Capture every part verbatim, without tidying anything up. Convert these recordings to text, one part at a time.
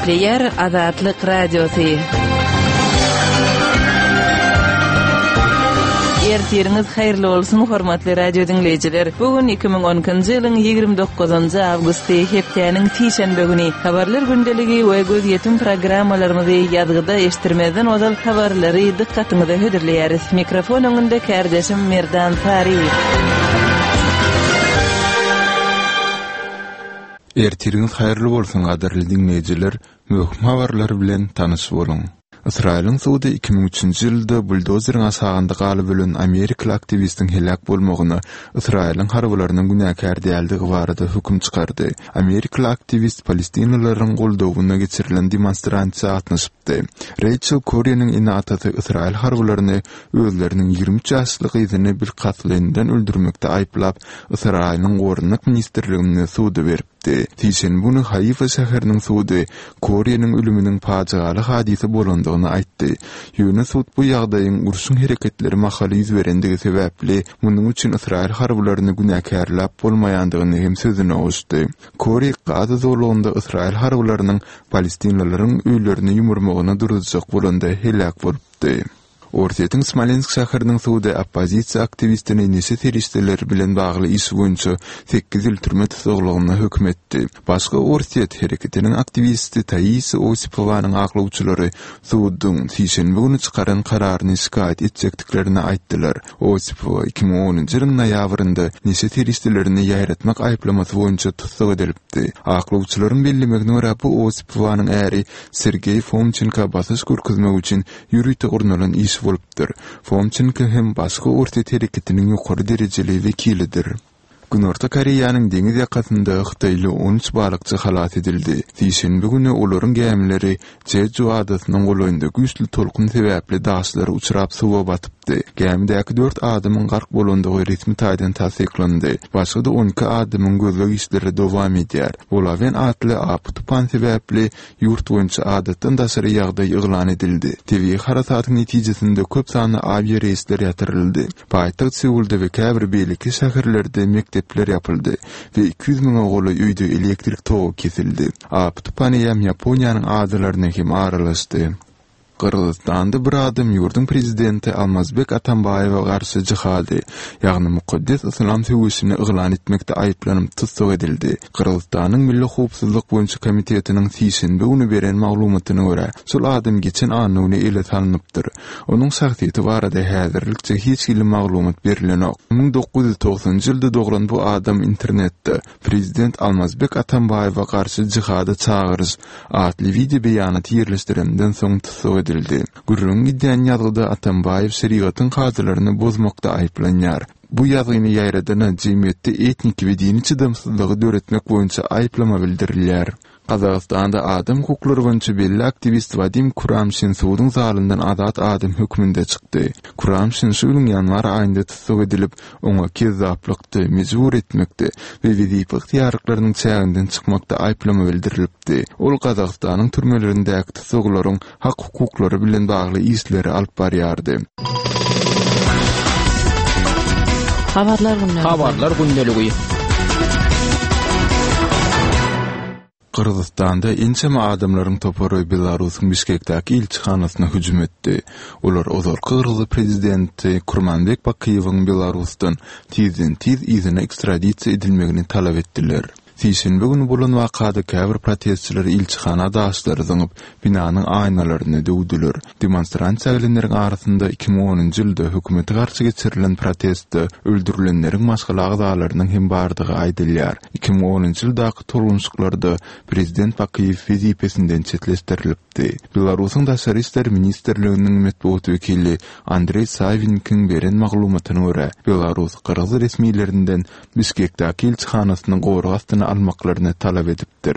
Gepleýär Azatlyk Radiosy. Ertiriňiz haýyrly bolsun, hormatly radio diňleýjiler. Bu gün iki müň on ikinji ýylyň ýigrimi dokuzynjy awgusty, hepdäniň sişenbe güni. Habarlar gündeligi we gözýetim programmalarymyzy ýazgyda eşitdirmezden ozal habarlary dykgatyňyza hödürleýäris. Mikrofon öňünde kärdeşim Merdan Saryýew. Ertiriňiz haýyrly bolsun, gadyrly diňleýjiler. Möhüm habarlar bilen tanyş boluň. Ysraýylyň sudy iki müň üçünji ýylda buldozeriň aşagynda galyp ölen amerikaly aktiwistiň heläk bolmagyna Ysraýylyň harbylarynyň günäkär däldigi barada höküm çykardy. Amerikaly aktiwist palestinalylaryň goldawyna geçirilen demonstrasiýa gatnaşypdy. Reýçel Koriniň ene-atasy Ysraýyl harbylaryny özleriniň ýigrimi üç ýaşly gyzyny bilkastlaýyndan öldürmekde aýyplap, Ysraýylyň Goranmak ministrligine suda beripdi. Sişenbe güni Haifa şäheriniň sudy Koriniň ölüminiň pajygaly hadysa bolandygyny aýtdy. Ýöne sud bu ýagdaýyň urşuň hereketleri mahaly ýüz berendigi sebäpli munuň üçin Ysraýyl harbylaryny günäkärläp bolmaýandygyny hem sözüne goşdy. Kori Gaza zolagynda Ysraýyl harbylarynyň palestinlileriň öýlerini ýumurmagyna duruzjak bolanda heläk bolupdy. Orsýetiň Smolensk şäheriniň sudy oppozisiýa aktiwistini neşe serişdeleri bilen bagly iş boýunça sekiz ýyl türme tussaglygyna höküm etdi. Başga Orsýet hereketiniň aktiwisti Taisa Osipowanyň aklawçylary suduň sişenbe güni çykaran kararyny şikaýat etjekdiklerini aýtdylar. Osipowa iki müň onunjy ýylyň noýabrynda neşe serişdelerini ýaýratmak aýyplamasy boýunça tussag edilipdi. Aklawçylaryň bellemegine görä, bu Osipowanyň äri Sergeý Fomçenko basyş görkezmek üçin ýörite gurnalan iş bolupdyr. Fomçenko hem başga Orsýet hereketiniň ýokary derejeli wekilidir. Günorta Koreýanyň deňiz ýakasynda hytaýly on üç balykçy halas edildi. Sişenbe güni olaryň gämileri Jeju adasynyň golaýynda güýçli tolkun sebäpli daşlara uçrap suwa batypdy. Gämidäki dört adamyň gark bolandygy resmi taýdan tassyklandy. Başga-da on iki adamyň gözleg işleri dowam edýär. Bolawen atly apy tupan sebäpli ýurt boýunça adatdan daşary ýagdaý yglan edildi. Tebigy harasatyň netijesinde köp sanly awiareýsler ýatyryldy. Paýtagt Seulda we käbir beýleki şäherlerde mekdepler ýapyldy we iki ýüz müňe golaý öýde elektrik togy kesildi. Apy tupan eýýäm Ýaponiýanyň adalaryna hem aralaşdy. Gyrgyzystanda bir adam ýurduň prezidenti Almazbek Atambaýewe garşy jihady, ýagny mukaddes yslam söweşini yglan etmekde aýyplanyp tussag edildi. Gyrgyzystanyň Milli howpsuzlyk boýunça komitetiniň sişenbe güni beren maglumatyna görä, şol adam geçen anna güni ele salnypdyr. Onuň şahsyýeti barada häzirlikçe hiç hili maglumat berilenok. Müň dokuz ýüz togsanynjy ýylda doglan bu adam internetde Prezident Almazbek Atambaýewe garşy jihada çagyryş atly wideo beýanaty ýerleşdirenden soň tussag edildi. Gürrüňi gidýän ýazgyda Atambaýew şerigatyň kadalaryny bozmakda aýyplanýar. Bu ýazgyny ýaýradana jemgyýetde etniki we dini çydamsyzlygy döretmek boýunça aýyplama bildirilýär. Gazagystanda adam hukuklary boýunça belli aktiwist Wadim Kuramşin suduň zalyndan azat adam hökmünde çykdy. Kuramşin şu ýylyň ýanwar aýynda tussag edilip, oňa kezzaplykda, mejbur etmekde we wezipe ygtyýarlyklarynyň çäginden çykmakda aýyplama bildirilipdi. Ol Gazagystanyň türmelerindäki tussaglaryň hak-hukuklary bilen bagly işleri alyp barýardy. Habarlar gündeligi. Habarlar gündeligi. Gyrgyzystanda ençeme adamlaryň topary Belarusyň Bişkekdäki ilçihanasyna hüjüm etdi. Olar ozalky gyrgyz prezidenti Kurmanbek Bakyýewiň Belarusdan tizden-tiz yzyna ekstradisiýa edilmegini talap etdiler. Sişenbe güni bolan wakada käbir protestçiler ilçihana daşlary zyňyp, binanyň aýnalaryny döwdüler. Demonstrasiýa gelenleriň arasynda iki müň onunjy ýylda hökümete garşy geçirilen protestde öldürilenleriň maşgala agzalarynyň hem bardygy aýdylýar. Iki müň onunjy ýyldaky tolgunşyklarda prezident Bakyýew wezipesinden çetleşdirilipdi. Belarusyň Daşary işler ministrliginiň metbugat wekili Andreý Sawinkiň beren maglumatyna görä, Belarus gyrgyz resmilerinden Bişkekdäki ilçihanasyny gorag astyna almaklaryny talap edipdir.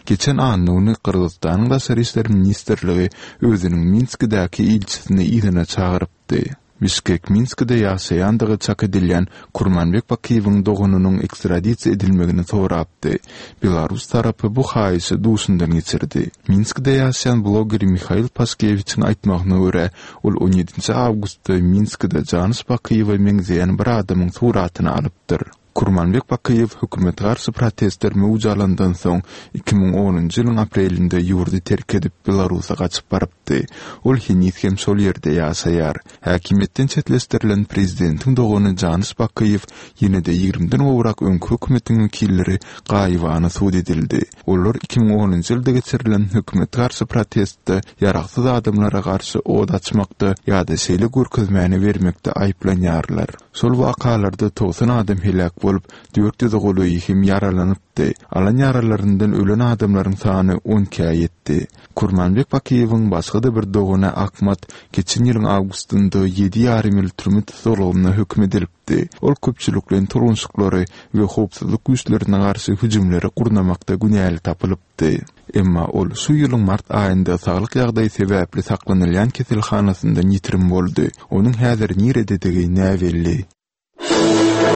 Geçen anna güni Gyrgyzystanyň Daşary işler ministrligi özüniň Minskidäki ilçisini yzyna çagyrypdy. Bişkek Minskide ýaşaýandygy çak edilýän Kurmanbek Bakyýewiň doganynyň ekstradisiýa edilmegini sorapdy. Belarus tarapy bu haýyşy duşundan geçirdi. Minskide ýaşaýan bloger Mihail Paşkewiçiň aýtmagyna görä, ol on ýedinji awgustda Minskide Janyş Bakyýewe meňzeýän bir adamyň suratyny alypdyr. Kurmanbek Bakyýew hökümete garşy protestler möwç alandan soň, iki müň onunjy ýylyň aprelinde ýurdy terk edip, Belarusa gaçyp barypdy. Ol heniz hem şol ýerde ýaşaýar. Häkimiýetden çetleşdirilen prezidentiň dogany Janyş Bakyýew ýene-de ýigrimiden gowrak öňki hökümetiň wekilleri gaýybana sud edildi. Olar iki müň onunjy ýylda geçirilen hökümete garşy protestde ýaragsyz adamlara garşy ot açmakda ýa-da şeýle görkezmäni bermekde aýyplanýarlar. Şol wakalarda togsan adam heläk bolup, dört ýüze golaýy hem ýaralanypdy. Alan ýaralaryndan ölen adamlaryň sany on ikä ýetdi. Kurmanbek Bakyýewiň başga-da bir dogany Akmat geçen ýylyň awgustynda ýedi ýarym ýyl türme tussaglygyna höküm edilipdi. Ol köpçülikleýin tolgunşyklary we howpsuzlyk güýçlerine garşy hüjümleri gurnamakda günäli tapylypdy. Emma ol şu ýylyň mart aýynda saglyk ýagdaýy sebäpli saklanylýan keselhanasyndan ýitirim boldy. Onuň häzir nirededigi näbelli.